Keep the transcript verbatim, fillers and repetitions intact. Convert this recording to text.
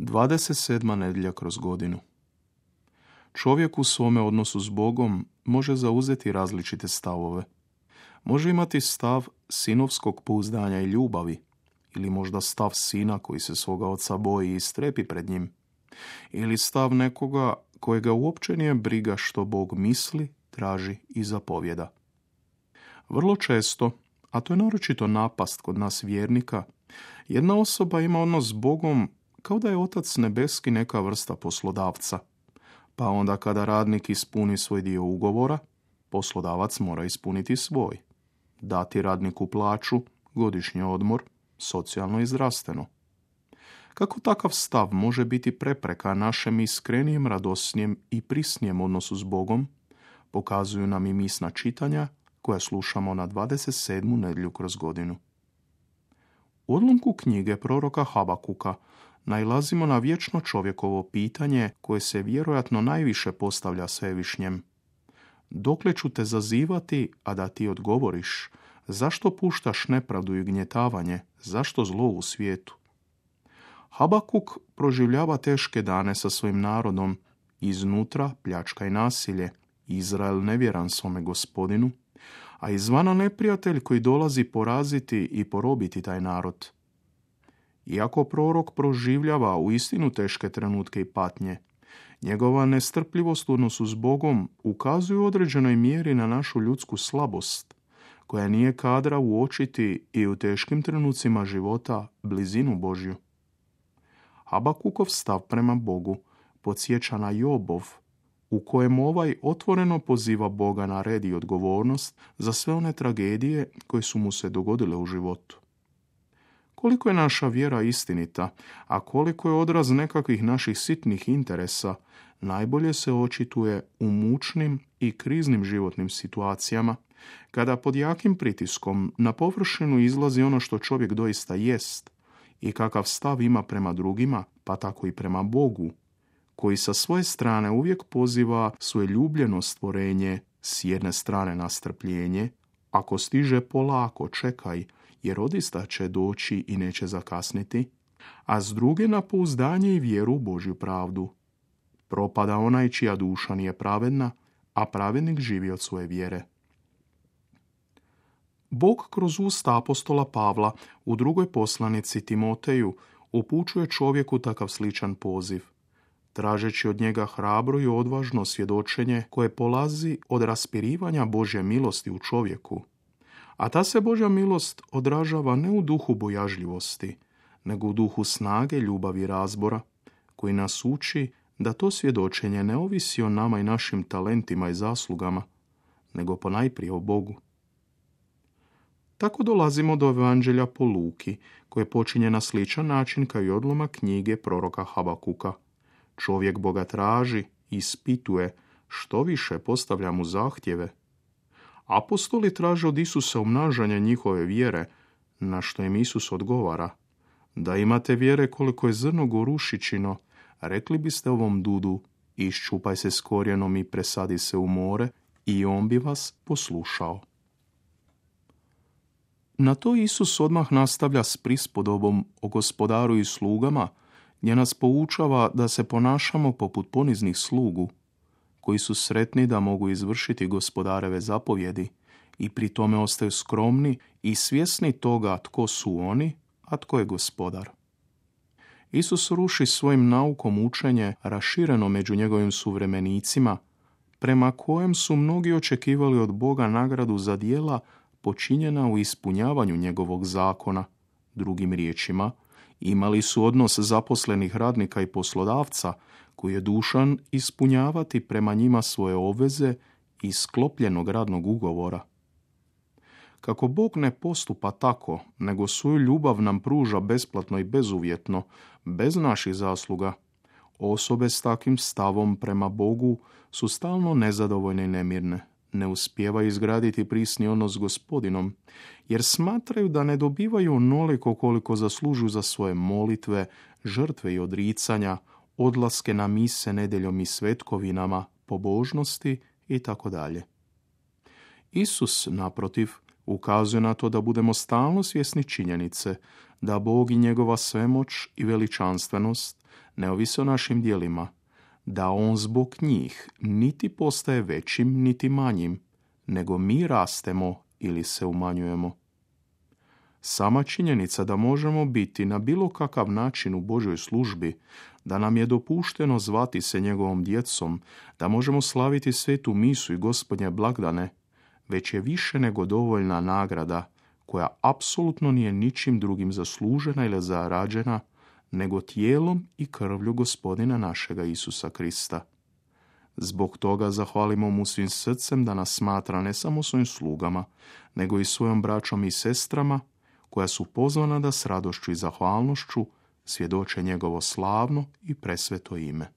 dvadeset sedma nedjelja kroz godinu. Čovjek u svome odnosu s Bogom može zauzeti različite stavove. Može imati stav sinovskog pouzdanja i ljubavi, ili možda stav sina koji se svoga oca boji i strepi pred njim, ili stav nekoga kojega uopće nije briga što Bog misli, traži i zapovjeda. Vrlo često, a to je naročito napast kod nas vjernika, jedna osoba ima odnos s Bogom kao da je Otac nebeski neka vrsta poslodavca, pa onda kada radnik ispuni svoj dio ugovora, poslodavac mora ispuniti svoj, dati radniku plaću, godišnji odmor, socijalno i zdravstveno. Kako takav stav može biti prepreka našem iskrenijem, radosnijem i prisnijem odnosu s Bogom, pokazuju nam i misna čitanja koja slušamo na dvadeset sedmu nedjelju kroz godinu. U odlomku knjige proroka Habakuka nailazimo na vječno čovjekovo pitanje koje se vjerojatno najviše postavlja Svevišnjem. Dokle ću te zazivati, a da ti odgovoriš? Zašto puštaš nepravdu i gnjetavanje? Zašto zlo u svijetu? Habakuk proživljava teške dane sa svojim narodom, iznutra pljačka i nasilje, Izrael nevjeran svome Gospodinu, a izvana neprijatelj koji dolazi poraziti i porobiti taj narod. Iako prorok proživljava u istinu teške trenutke i patnje, njegova nestrpljivost u odnosu s Bogom ukazuje u određenoj mjeri na našu ljudsku slabost, koja nije kadra uočiti i u teškim trenucima života blizinu Božju. Habakukov stav prema Bogu podsjeća na Jobov, u kojem ovaj otvoreno poziva Boga na red i odgovornost za sve one tragedije koje su mu se dogodile u životu. Koliko je naša vjera istinita, a koliko je odraz nekakvih naših sitnih interesa, najbolje se očituje u mučnim i kriznim životnim situacijama, kada pod jakim pritiskom na površinu izlazi ono što čovjek doista jest i kakav stav ima prema drugima, pa tako i prema Bogu, koji sa svoje strane uvijek poziva svoje ljubljeno stvorenje s jedne strane na strpljenje, ako stiže polako, čekaj, jer odista će doći i neće zakasniti, a s druge na pouzdanje i vjeru u Božju pravdu. Propada onaj čija duša nije pravedna, a pravednik živi od svoje vjere. Bog kroz usta apostola Pavla u drugoj poslanici Timoteju upućuje čovjeku takav sličan poziv, tražeći od njega hrabro i odvažno svjedočenje koje polazi od raspirivanja Božje milosti u čovjeku. A ta se Božja milost odražava ne u duhu bojažljivosti, nego u duhu snage, ljubavi i razbora, koji nas uči da to svjedočenje ne ovisi o nama i našim talentima i zaslugama, nego ponajprije o Bogu. Tako dolazimo do Evanđelja po Luki, koje počinje na sličan način kao i odlomak knjige proroka Habakuka. Čovjek Boga traži, ispituje, što više postavlja mu zahtjeve. Apostoli traže od Isusa umnažanje njihove vjere, na što im Isus odgovara: da imate vjere koliko je zrno gorušičino, rekli biste ovom dudu, iščupaj se s korijenom i presadi se u more, i on bi vas poslušao. Na to Isus odmah nastavlja s prispodobom o gospodaru i slugama, gdje nas poučava da se ponašamo poput poniznih slugu, koji su sretni da mogu izvršiti gospodareve zapovjedi i pri tome ostaju skromni i svjesni toga tko su oni, a tko je gospodar. Isus ruši svojim naukom učenje rašireno među njegovim suvremenicima, prema kojem su mnogi očekivali od Boga nagradu za djela počinjena u ispunjavanju njegovog zakona. Drugim riječima, imali su odnos zaposlenih radnika i poslodavca koji je dužan ispunjavati prema njima svoje obveze iz sklopljenog radnog ugovora. Kako Bog ne postupa tako, nego svoju ljubav nam pruža besplatno i bezuvjetno, bez naših zasluga, osobe s takvim stavom prema Bogu su stalno nezadovoljne i nemirne. Ne uspijevaju izgraditi prisni odnos s Gospodinom, jer smatraju da ne dobivaju onoliko koliko zaslužuju za svoje molitve, žrtve i odricanja, odlaske na mise nedjeljom i svetkovinama, pobožnosti itd. Isus, naprotiv, ukazuje na to da budemo stalno svjesni činjenice da Bog i njegova svemoć i veličanstvenost ne ovise o našim djelima, da on zbog njih niti postaje većim niti manjim, nego mi rastemo ili se umanjujemo. Sama činjenica da možemo biti na bilo kakav način u Božjoj službi, da nam je dopušteno zvati se njegovom djecom, da možemo slaviti svetu misu i Gospodnje blagdane, već je više nego dovoljna nagrada koja apsolutno nije ničim drugim zaslužena ili zarađena, nego tijelom i krvlju Gospodina našega Isusa Krista. Zbog toga zahvalimo mu svim srcem da nas smatra ne samo svojim slugama, nego i svojom braćom i sestrama, koja su pozvana da s radošću i zahvalnošću svjedoče njegovo slavno i presveto ime.